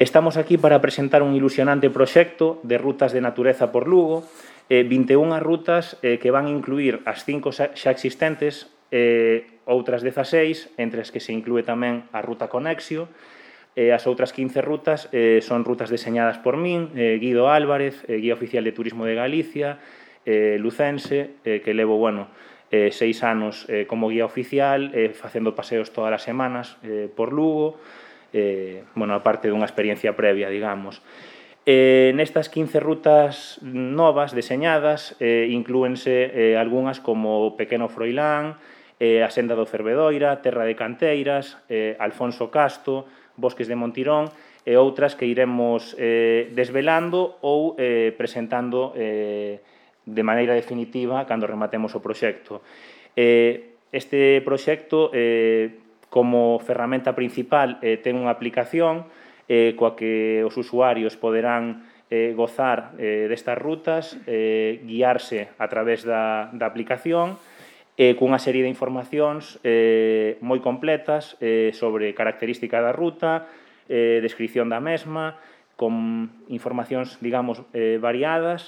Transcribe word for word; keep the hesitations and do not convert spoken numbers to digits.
Estamos aquí para presentar un ilusionante proxecto de rutas de natureza por Lugo, eh, vinte e unha rutas eh, que van incluir as cinco xa existentes, eh, outras dezaseis, entre as que se inclúe tamén a Ruta Conexio, e as outras quince rutas eh, son rutas deseñadas por min, eh, Guido Álvarez, eh, Guía Oficial de Turismo de Galicia, eh, lucense, eh, que levo, bueno, eh, seis anos eh, como guía oficial, eh, facendo paseos todas as semanas eh, por Lugo, eh, bueno, aparte dunha experiencia previa, digamos. Eh, nestas quince rutas novas, deseñadas, eh, inclúense eh, algunhas como Pequeno Froilán, eh, a Senda do Fervedoira, Terra de Canteiras, eh, Alfonso Casto, Bosques de Montirón, e outras que iremos eh, desvelando ou eh, presentando eh, de maneira definitiva cando rematemos o proxecto. Eh, este proxecto, eh, como ferramenta principal, eh, ten unha aplicación eh, coa que os usuarios poderán eh, gozar eh, destas rutas, eh, guiarse a través da, da aplicación, eh, cunha serie de informacións eh, moi completas eh, sobre característica da ruta, eh, descripción da mesma, con informacións, digamos, eh, variadas,